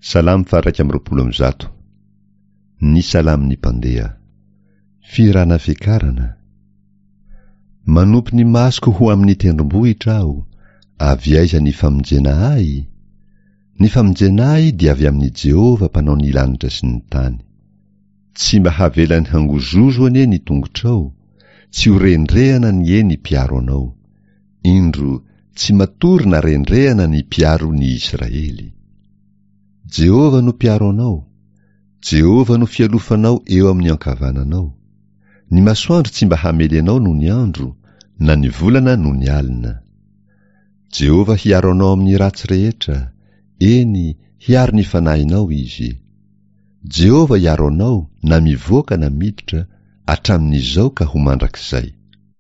Salamo faha-121. Ny Salamon'ny mpandeha. Fihirana fiakarana. Manopy ny masoko ho amin'ny tendrombohitra aho, avy aiza ny famonjena ahy? Ny famonjena ahy dia avy amin'i Jehovah mpanao ny lanitra sy ny tany. Tsy mba havelany hangozozo anie ny tongotrao, tsy ho rendrehana anie ny mpiaro anao. Indro, tsy matory na rendrehana ny mpiaro ny Israely. Jehovah no mpiaro anao, Jehovah no fialofanao eo amin'ny ankavananao. Ny masoandro tsy mba hamely anao nony andro, na ny volana nony alina. Jehovah hiaro anao amin'ny ratsy rehetra, eny, hiaro ny fanahinao Izy. Jehovah hiaro anao na mivoaka na miditra, hatramin'izao ka ho mandrakizay.